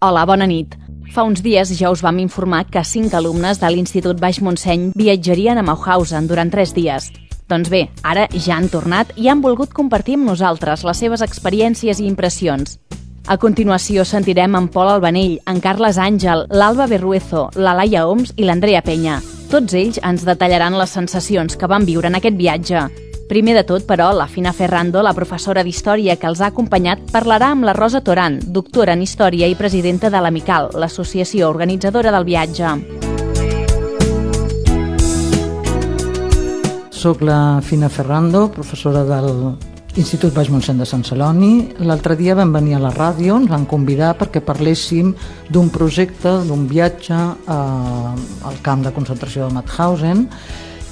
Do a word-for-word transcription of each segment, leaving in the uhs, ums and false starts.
Hola, bona nit. Fa uns dies ja us vam informar que cinc alumnes de l'Institut Baix Montseny viatjarien a Mauthausen durant tres dies. Doncs bé, ara ja han tornat i han volgut compartir amb nosaltres les seves experiències i impressions. A continuació sentirem en Pol Albanell, en Carles Àngel, l'Alba Berruezo, la Laia Oms i l'Andrea Penya. Tots ells ens detallaran les sensacions que van viure en aquest viatge. Primer de tot, però, la Fina Ferrando, la professora d'Història que els ha acompanyat, parlarà amb la Rosa Toran, doctora en Història i presidenta de l'Amical, l'associació organitzadora del viatge. Soc la Fina Ferrando, professora del Institut Baix Montseny de Sant Celoni. L'altre dia vam venir a la ràdio, ens van convidar perquè parléssim d'un projecte, d'un viatge al camp de concentració de Mauthausen,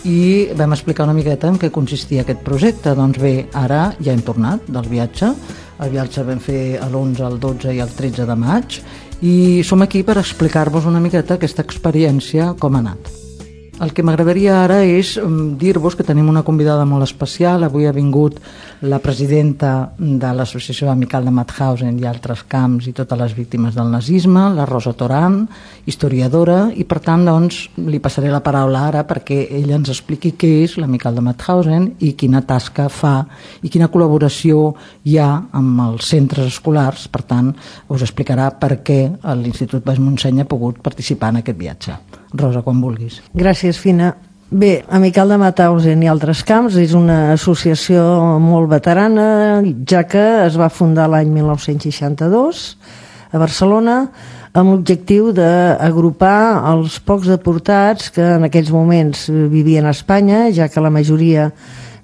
i vam explicar una miqueta en què consistia aquest projecte. Doncs bé, ara ja hem tornat del viatge. El viatge vam fer l'onze, el dotze i el tretze de maig i som aquí per explicar-vos una miqueta aquesta experiència, com ha anat. El que m'agradaria ara és dir-vos que tenim una convidada molt especial. Avui ha vingut la presidenta de l'Associació Amical de Mauthausen i altres camps i totes les víctimes del nazisme, la Rosa Toran, historiadora, i per tant doncs, li passaré la paraula ara perquè ella ens expliqui què és l'Amical de Mauthausen i quina tasca fa i quina col·laboració hi ha amb els centres escolars. Per tant, us explicarà per què l'Institut Baix Montseny ha pogut participar en aquest viatge. Rosa, quan vulguis. Gràcies, Fina. Bé, Amical de Mauthausen i altres camps és una associació molt veterana, ja que es va fundar l'any mil nou-cents seixanta-dos a Barcelona amb l'objectiu d'agrupar els pocs deportats que en aquells moments vivien a Espanya, ja que la majoria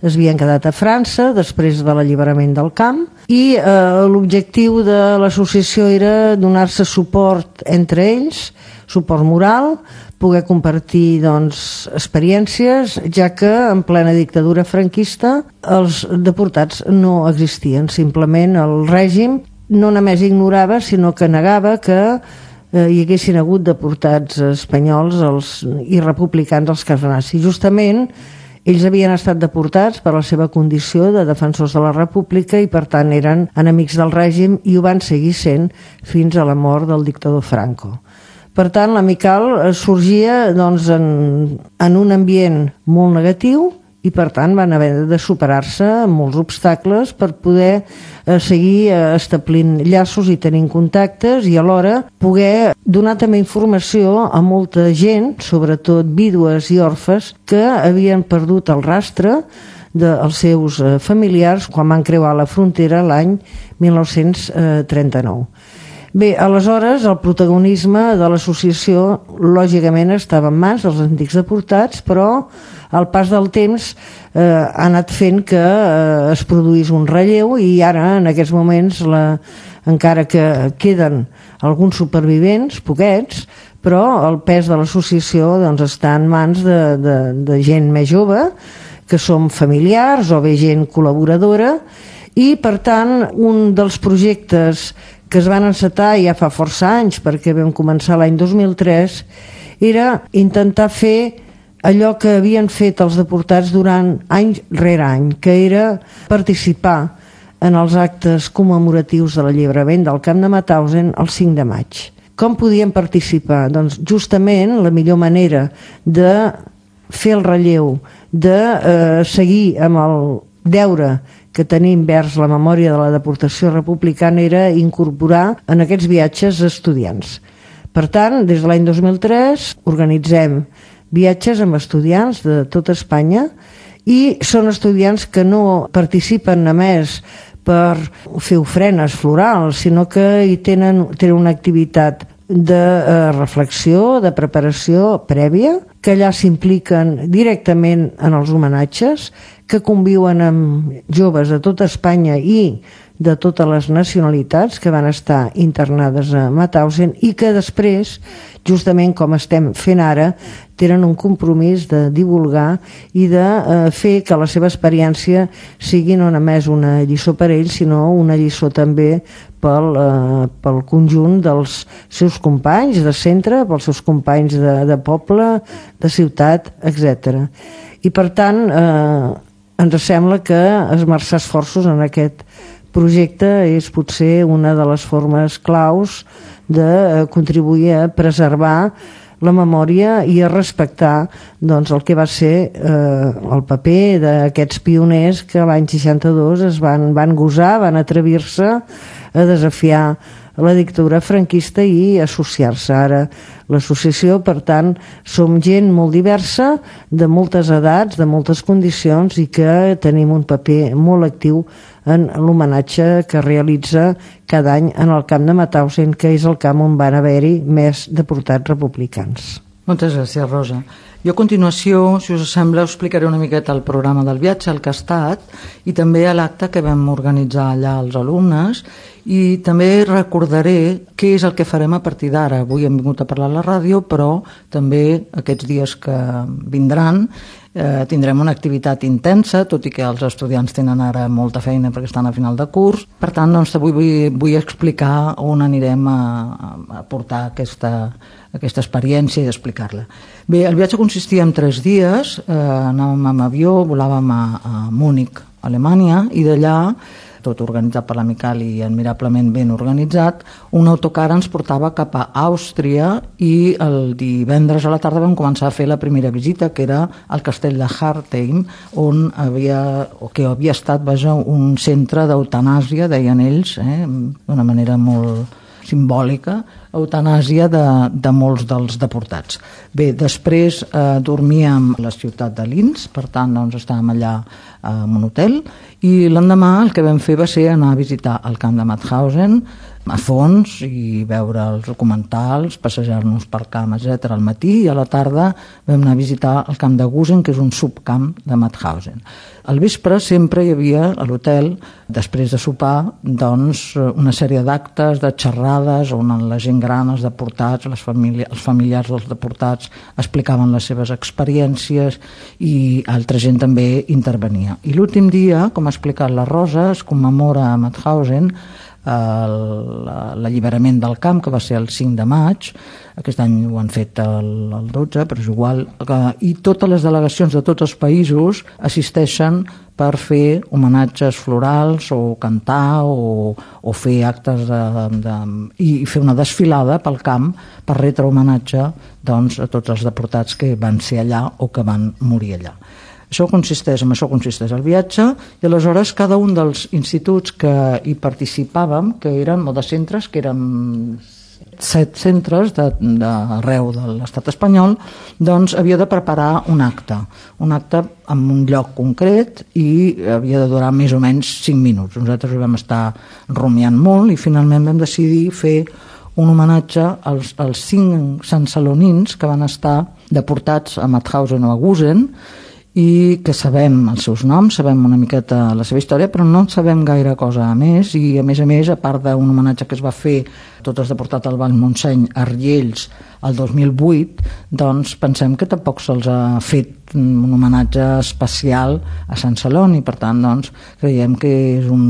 es havien quedat a França després de l'alliberament del camp, i eh, l'objectiu de l'associació era donar-se suport entre ells, suport moral, poder compartir doncs, experiències, ja que en plena dictadura franquista els deportats no existien. Simplement el règim no només ignorava, sinó que negava que eh, hi haguessin hagut deportats espanyols els, i republicans als camps nazis. Justament ells havien estat deportats per la seva condició de defensors de la república i per tant eren enemics del règim i ho van seguir sent fins a la mort del dictador Franco. Per tant, l'Amical sorgia doncs, en, en un ambient molt negatiu i per tant van haver de superar-se molts obstacles per poder eh, seguir eh, establint llaços i tenint contactes i alhora poder donar també informació a molta gent, sobretot vídues i orfes, que havien perdut el rastre dels seus eh, familiars quan van creuar la frontera l'any mil nou-cents trenta-nou. Bé, aleshores el protagonisme de l'associació lògicament estava en mans dels antics deportats, però al pas del temps eh, ha anat fent que eh, es produís un relleu i ara en aquests moments la, encara que queden alguns supervivents, poquets, però el pes de l'associació doncs, està en mans de, de, de gent més jove, que som familiars o bé gent col·laboradora, i per tant un dels projectes que es van encetar ja fa força anys, perquè vam començar l'any dos mil tres, era intentar fer allò que havien fet els deportats durant any rere any, que era participar en els actes commemoratius de l'alliberament del camp de Mauthausen el cinc de maig. Com podien participar? Doncs justament la millor manera de fer el relleu, de eh, seguir amb el deure que tenim vers la memòria de la deportació republicana era incorporar en aquests viatges estudiants. Per tant, des de l'any dos mil tres organitzem viatges amb estudiants de tota Espanya i són estudiants que no participen només per fer ofrenes florals, sinó que hi tenen, tenen una activitat de eh, reflexió, de preparació prèvia, que allà s'impliquen directament en els homenatges, que conviuen amb joves de tota Espanya i de totes les nacionalitats que van estar internades a Mauthausen i que després, justament com estem fent ara, tenen un compromís de divulgar i de eh, fer que la seva experiència sigui no només una lliçó per ells, sinó una lliçó també pel, eh, pel conjunt dels seus companys de centre, pels seus companys de, de poble, de ciutat, etcètera. I per tant, eh, ens sembla que esmerçar esforços en aquest projecte és potser una de les formes claus de contribuir a preservar la memòria i a respectar doncs, el que va ser eh, el paper d'aquests pioners que l'any seixanta-dos es van, van gosar, van atrevir-se a desafiar la dictadura franquista i associar-se. Ara l'associació, per tant, som gent molt diversa, de moltes edats, de moltes condicions, i que tenim un paper molt actiu en l'homenatge que realitza cada any en el camp de Mauthausen, que és el camp on van haver-hi més deportats republicans. Moltes gràcies, Rosa. Jo a continuació, si us sembla, us explicaré una miqueta el programa del viatge, el que ha estat, i també l'acte que vam organitzar allà als alumnes, i també recordaré què és el que farem a partir d'ara. Avui hem vingut a parlar a la ràdio, però també aquests dies que vindran eh, tindrem una activitat intensa, tot i que els estudiants tenen ara molta feina perquè estan a final de curs. Per tant, doncs, avui vull, vull explicar on anirem a, a portar aquesta, aquesta experiència i explicar-la. Bé, el viatge consistia en tres dies, eh, anàvem amb avió, volàvem a, a Múnich, Alemanya, i d'allà, tot organitzat per la Mical i admirablement ben organitzat, un autocar ens portava cap a Àustria i el divendres a la tarda vam començar a fer la primera visita, que era al castell de Hartheim, on havia, o que havia estat, vaja, un centre d'eutanàsia, deien ells, eh, d'una manera molt simbòlica, eutanàsia de, de molts dels deportats. Bé, després eh, dormíem a la ciutat de Linz, per tant doncs, estàvem allà eh, en un hotel, i l'endemà el que vam fer va ser anar a visitar el camp de Mauthausen a fons i veure els documentals, passejar-nos pel camp, etcètera al matí, i a la tarda vam anar a visitar el camp de Gusen, que és un subcamp de Mauthausen. Al vespre sempre hi havia a l'hotel, després de sopar, doncs, una sèrie d'actes, de xerrades, on la gent gran, els deportats, les famílies, els familiars dels deportats explicaven les seves experiències i altra gent també intervenia. I l'últim dia, com ha explicat la Rosa, es commemora a Mauthausen l'alliberament del camp, que va ser el cinc de maig. Aquest any ho han fet el, el dotze, però és igual, i totes les delegacions de tots els països assisteixen per fer homenatges florals o cantar o, o fer actes de, de, i fer una desfilada pel camp per retre homenatge, doncs, a tots els deportats que van ser allà o que van morir allà. Això consisteix, en això consisteix el viatge, i aleshores cada un dels instituts que hi participàvem, que eren molt de centres, que eren set centres d'arreu de, de l'estat espanyol, doncs havia de preparar un acte, un acte en un lloc concret i havia de durar més o menys cinc minuts. Nosaltres ho vam estar rumiant molt i finalment vam decidir fer un homenatge als, als cinc sansalonins que van estar deportats a Mauthausen o a Gusen, i que sabem els seus noms, sabem una miqueta la seva història, però no sabem gaire cosa a més, i a més a més, a part d'un homenatge que es va fer tots els deportats al Vallmontseny a Riells el dos mil vuit, doncs pensem que tampoc se'ls ha fet un homenatge especial a Sant Celoni. Per tant, doncs, creiem que és un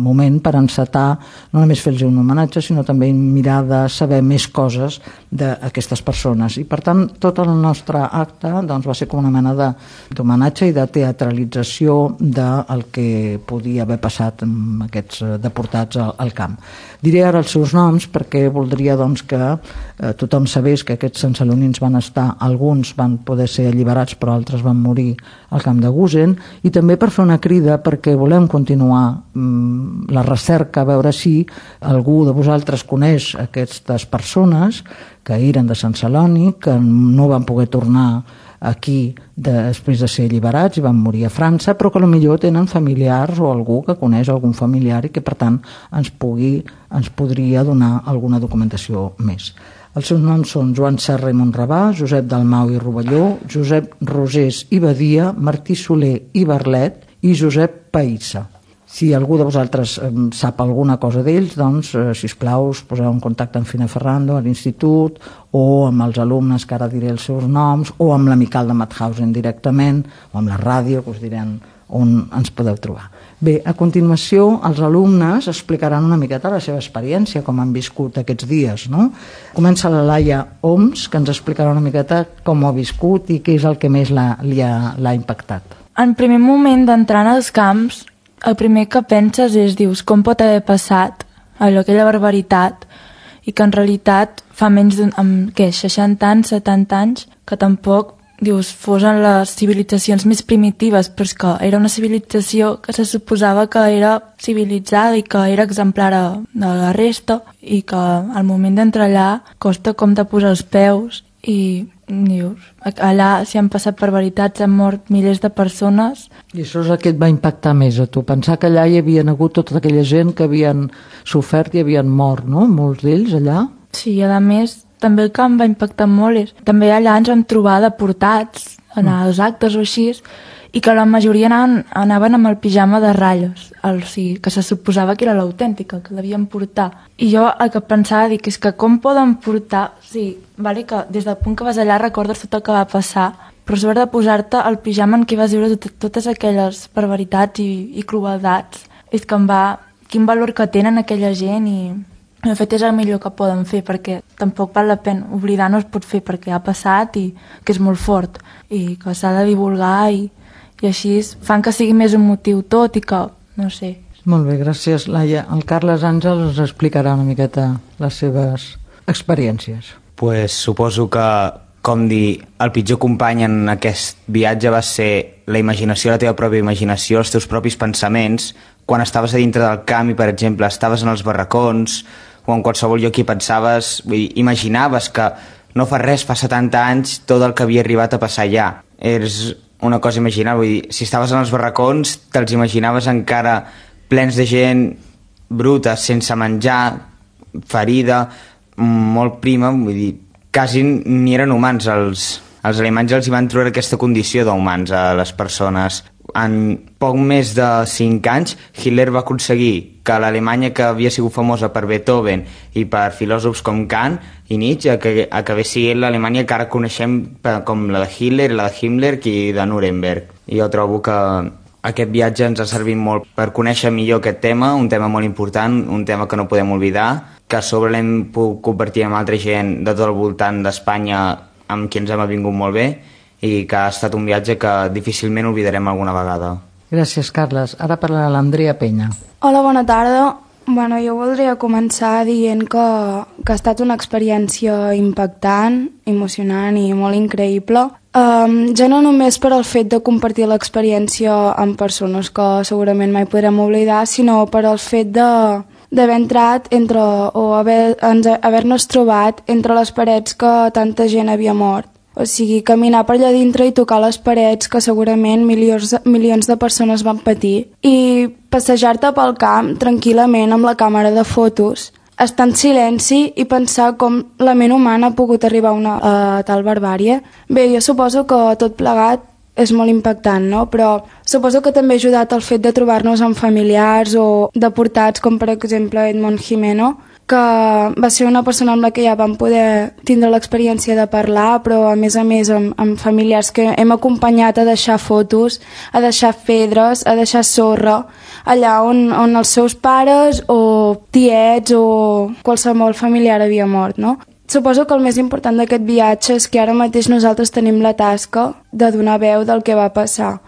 moment per encetar, no només fer-los un homenatge, sinó també mirar de saber més coses d'aquestes persones. I per tant, tot el nostre acte doncs, va ser com una mena d'homenatge i de teatralització del que podia haver passat amb aquests deportats al, al camp. Diré ara els seus noms perquè voldria doncs, que eh, tothom sabés que aquests sansalonins van estar, alguns van poder ser alliberats però altres van morir al camp de Gusen, i també per fer una crida perquè volem continuar mm, la recerca, a veure si algú de vosaltres coneix aquestes persones que eren de Sant Celoni, que no van poder tornar aquí després de ser alliberats i van morir a França, però que potser tenen familiars o algú que coneix algun familiar i que per tant ens, pugui, ens podria donar alguna documentació més. Els seus noms són Joan Serra i Montrabà, Josep Dalmau i Rovelló, Josep Rosés i Badia, Martí Soler i Barlet i Josep Païssa. Si algú de vosaltres eh, sap alguna cosa d'ells, doncs, eh, sisplau, us poseu en contacte amb Fina Ferrando, a l'institut, o amb els alumnes, que ara diré els seus noms, o amb l'Amical de Mauthausen directament, o amb la ràdio, que us diran on ens podeu trobar. Bé, a continuació, els alumnes explicaran una miqueta la seva experiència, com han viscut aquests dies, no? Comença la Laia Oms, que ens explicarà una miqueta com ho ha viscut i què és el que més l'ha, li ha, l'ha impactat. En primer moment d'entrar als camps, el primer que penses és, dius, com pot haver passat allò, aquella barbaritat, i que en realitat fa menys d'un, amb, què, seixanta anys, setanta anys, que tampoc, dius, fos en les civilitzacions més primitives, però és que era una civilització que se suposava que era civilitzada i que era exemplar de la resta, i que al moment d'entrar allà costa com de posar els peus, i dius, allà s'hi han passat barbaritats, han mort milers de persones. I això és el que et va impactar més a tu, pensar que allà hi havia hagut tota aquella gent que havien sofert i havien mort, no? Molts d'ells allà. Sí, i a més, també el que em va impactar molt és, també allà ens vam trobar deportats en mm. els actes o així, i que la majoria anaven, anaven amb el pijama de ratlles, el, o sigui, que se suposava que era l'autèntica, que l'havien portar. I jo el que pensava, dic, és que com poden portar... Sí, vale, que des del punt que vas allà recordes tot el que va passar, però sobre de posar-te el pijama en què vas viure tot, totes aquelles barbaritats i, i crueldats, és que em va... Quin valor que tenen aquella gent i... De fet, és el millor que poden fer, perquè tampoc val la pena. Oblidar no es pot fer perquè ha passat i que és molt fort i que s'ha de divulgar i, i així fan que sigui més un motiu tot i que, no sé. Molt bé, gràcies, Laia. El Carles Àngel ens explicarà una miqueta les seves experiències. Pues suposo que, com dir, el pitjor company en aquest viatge va ser la imaginació, la teva pròpia imaginació, els teus propis pensaments. Quan estaves a dintre del camp i, per exemple, estaves en els barracons o en qualsevol lloc i pensaves, vull dir, imaginaves que no fa res, fa setanta anys, tot el que havia arribat a passar allà. És una cosa imaginable, vull dir, si estaves en els barracons te'ls imaginaves encara plens de gent bruta, sense menjar, ferida, molt prima, vull dir, quasi ni eren humans. Els, els alemanys els hi van trobar aquesta condició d'humans a les persones. En poc més de cinc anys, Hitler va aconseguir que l'Alemanya, que havia sigut famosa per Beethoven i per filòsofs com Kant i Nietzsche, que acabés sent l'Alemanya que ara coneixem com la de Hitler, la de Himmler i de Nuremberg. I jo trobo que aquest viatge ens ha servit molt per conèixer millor aquest tema, un tema molt important, un tema que no podem oblidar, que a sobre l'hem pogut compartir amb altra gent de tot el voltant d'Espanya amb qui ens hem avingut molt bé, i que ha estat un viatge que difícilment oblidarem alguna vegada. Gràcies, Carles. Ara parlarà l'Andrea Penya. Hola, bona tarda. Bueno, jo voldria començar dient que, que ha estat una experiència impactant, emocionant i molt increïble. Um, ja no només per al fet de compartir l'experiència amb persones que segurament mai podrem oblidar, sinó per al fet de d'haver entrat entre, o haver, haver-nos trobat entre les parets que tanta gent havia mort. O sigui, caminar per allà dintre i tocar les parets que segurament milions, milions de persones van patir. I passejar-te pel camp tranquil·lament amb la càmera de fotos, estar en silenci i pensar com la ment humana ha pogut arribar a una a tal barbàrie. Bé, jo suposo que tot plegat és molt impactant, no? Però suposo que també ha ajudat el fet de trobar-nos amb familiars o deportats, com per exemple Edmond Jimeno, que va ser una persona amb la que ja vam poder tindre l'experiència de parlar, però a més a més amb, amb familiars que hem acompanyat a deixar fotos, a deixar pedres, a deixar sorra, allà on, on els seus pares o tiets o qualsevol familiar havia mort, no? Suposo que el més important d'aquest viatge és que ara mateix nosaltres tenim la tasca de donar veu del que va passar.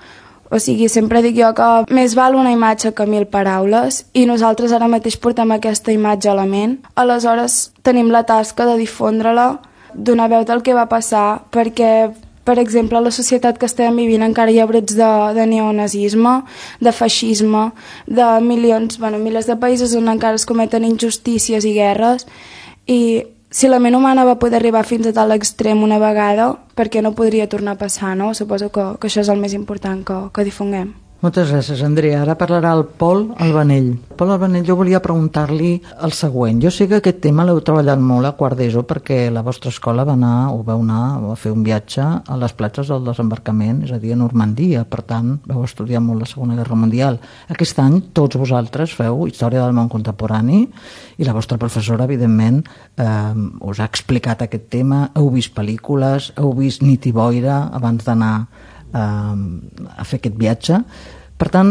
O sigui, sempre dic jo que més val una imatge que mil paraules i nosaltres ara mateix portem aquesta imatge a la ment. Aleshores, tenim la tasca de difondre-la, donar veu del que va passar, perquè, per exemple, a la societat que estem vivint encara hi ha brots de, de neonazisme, de feixisme, de milions, bueno, milers de països on encara es cometen injustícies i guerres, i si la ment humana va poder arribar fins a tal extrem una vegada, per què no podria tornar a passar, no? Suposo que, que això és el més important que, que difonguem. Moltes gràcies, Andrea. Ara parlarà el Pol Albanell. Pol Albanell, jo volia preguntar-li el següent. Jo sé que aquest tema l'heu treballat molt a quart d'ESO perquè la vostra escola va anar o vau anar a fer un viatge a les platges del desembarcament, és a dir, a Normandia. Per tant, vau estudiar molt la Segona Guerra Mundial. Aquest any tots vosaltres feu Història del món contemporani i la vostra professora, evidentment, eh, us ha explicat aquest tema, heu vist pel·lícules, heu vist Nit i boira abans d'anar a fer aquest viatge. Per tant,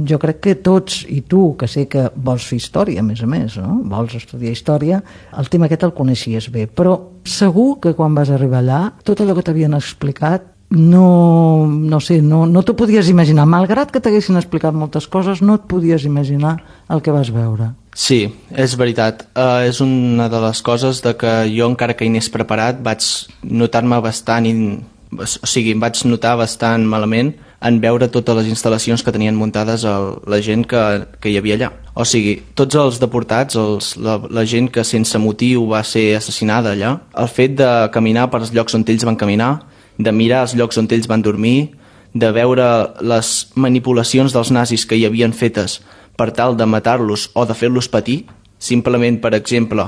jo crec que tots, i tu, que sé que vols fer història, a més a més, no? Vols estudiar història, el tema aquest el coneixies bé, però segur que quan vas arribar allà, tot allò que t'havien explicat no, no sé, no, no t'ho podies imaginar. Malgrat que t'haguessin explicat moltes coses, no et podies imaginar el que vas veure. Sí, és veritat. Uh, és una de les coses de que jo, encara que hi anés preparat, vaig notar-me bastant, in... o sigui, em vaig notar bastant malament en veure totes les instal·lacions que tenien muntades el, la gent que, que hi havia allà. O sigui, tots els deportats, els, la, la gent que sense motiu va ser assassinada allà, el fet de caminar per els llocs on ells van caminar, de mirar els llocs on ells van dormir, de veure les manipulacions dels nazis que hi havien fetes per tal de matar-los o de fer-los patir, simplement, per exemple,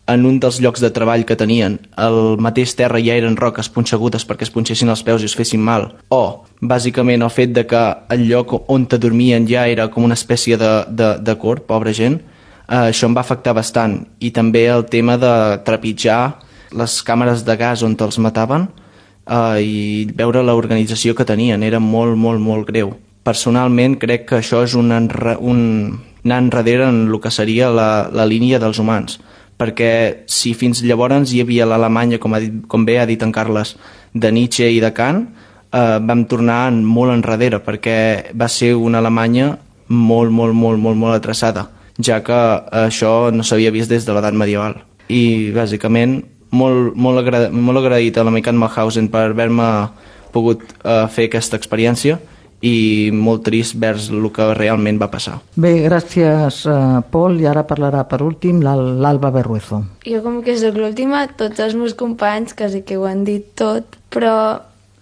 en un dels llocs de treball que tenien, el mateix terra ja eren roques punxegudes perquè es punxessin els peus i es fessin mal, o bàsicament el fet de que el lloc on te dormien ja era com una espècie de, de, de cort, pobra gent, eh, això em va afectar bastant. I també el tema de trepitjar les càmeres de gas on els mataven eh, i veure l'organització que tenien, era molt, molt, molt greu. Personalment crec que això és un, enre, un anar enrere en el que seria la, la línia dels humans, perquè si fins llavors hi havia l'Alemanya, com, ha dit, com bé ha dit en Carles, de Nietzsche i de Kant, eh, vam tornar molt enrere, perquè va ser una Alemanya molt, molt, molt, molt, molt atreçada, ja que això no s'havia vist des de l'edat medieval. I, bàsicament, molt, molt, agra molt agraït a l'Amicat Mauthausen per haver-me pogut eh, fer aquesta experiència, i molt trist vers el que realment va passar. Bé, gràcies, uh, Pol, i ara parlarà per últim l'Alba Berruezo. Jo com que soc l'última, tots els meus companys quasi que ho han dit tot, però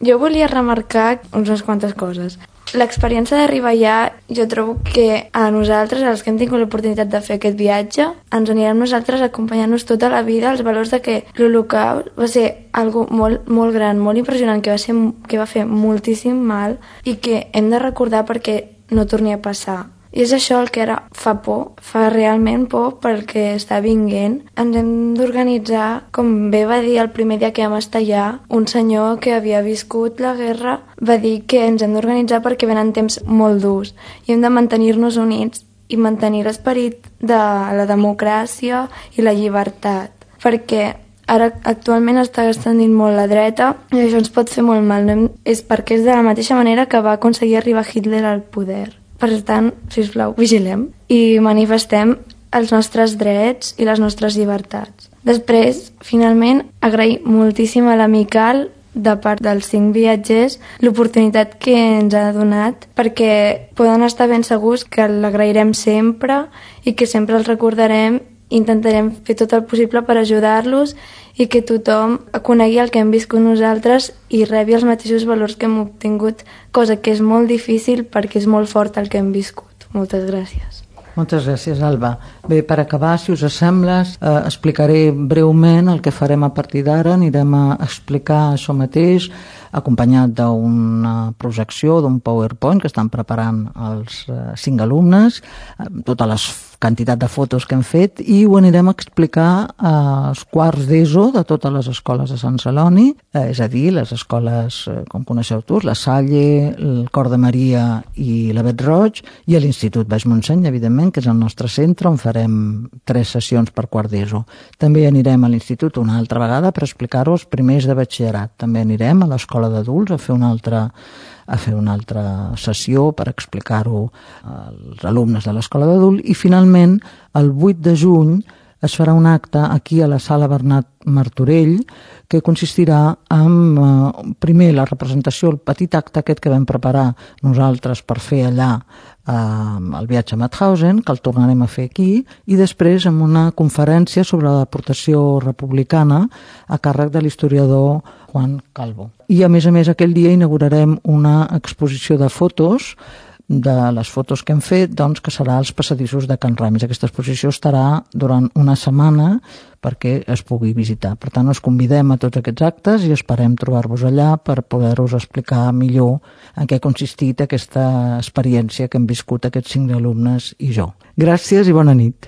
jo volia remarcar unes quantes coses. L'experiència d'arribar allà, jo trobo que a nosaltres, als que hem tingut l'oportunitat de fer aquest viatge, ens anirem nosaltres acompanyant-nos tota la vida els valors de que l'Holocaust va ser algo molt, molt gran, molt impressionant, que va, ser, que va fer moltíssim mal i que hem de recordar perquè no torni a passar. I és això el que ara fa por, fa realment por pel que està vinguent. Ens hem d'organitzar, com bé va dir el primer dia que vam estar allà, un senyor que havia viscut la guerra va dir que ens hem d'organitzar perquè venen temps molt durs i hem de mantenir-nos units i mantenir l'esperit de la democràcia i la llibertat, perquè ara actualment està extendint molt la dreta i això ens pot fer molt mal. No hem... És perquè és de la mateixa manera que va aconseguir arribar Hitler al poder. Per tant, sisplau, vigilem i manifestem els nostres drets i les nostres llibertats. Després, finalment, agrair moltíssim a l'Amical, de part dels cinc viatgers, l'oportunitat que ens ha donat, perquè poden estar ben segurs que l'agrairem sempre i que sempre els recordarem. Intentarem fer tot el possible per ajudar-los i que tothom conegui el que hem viscut nosaltres i rebi els mateixos valors que hem obtingut, cosa que és molt difícil perquè és molt fort el que hem viscut. Moltes gràcies. Moltes gràcies, Alba. Bé, per acabar, si us sembla, eh, explicaré breument el que farem a partir d'ara. Anirem a explicar això mateix, acompanyat d'una projecció, d'un PowerPoint que estan preparant els eh, cinc alumnes, eh, tota la quantitat de fotos que hem fet, i ho anirem a explicar als quarts d'ESO de totes les escoles de Sant Celoni, eh, és a dir, les escoles, eh, com coneixeu tu, la Salle, el Cor de Maria i la Bet Roig, i a l'Institut Baix Montseny, evidentment, que és el nostre centre, on farem tres sessions per quart d'ESO. També anirem a l'Institut una altra vegada per explicar-ho als primers de batxillerat. També anirem a l'escola d'adults a fer una altra a fer una altra sessió per explicar-ho als alumnes de l'escola d'adult, i finalment el vuit de juny es farà un acte aquí a la sala Bernat Martorell que consistirà en, eh, primer, la representació, el petit acte aquest que vam preparar nosaltres per fer allà eh, el viatge a Mauthausen, que el tornarem a fer aquí, i després amb una conferència sobre la deportació republicana a càrrec de l'historiador Juan Calvo. I a més a més aquell dia inaugurarem una exposició de fotos, de les fotos que hem fet, doncs, que serà als passadissos de Can Ramis. Aquesta exposició estarà durant una setmana perquè es pugui visitar. Per tant, us convidem a tots aquests actes i esperem trobar-vos allà per poder-vos explicar millor en què ha consistit aquesta experiència que hem viscut aquests cinc alumnes i jo. Gràcies i bona nit.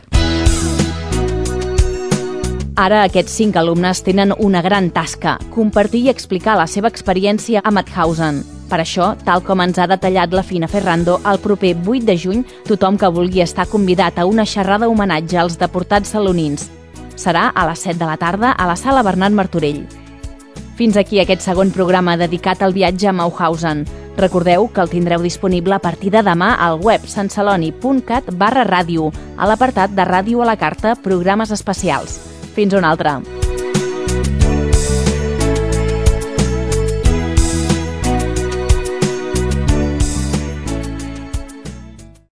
Ara aquests cinc alumnes tenen una gran tasca, compartir i explicar la seva experiència a Mauthausen. Per això, tal com ens ha detallat la Fina Ferrando, el proper vuit de juny tothom que vulgui estar convidat a una xerrada homenatge als deportats salonins. Serà a les set de la tarda a la sala Bernat Martorell. Fins aquí aquest segon programa dedicat al viatge a Mauthausen. Recordeu que el tindreu disponible a partir de demà al web santceloni.cat barra ràdio, a l'apartat de Ràdio a la Carta, programes especials. Fins una altra.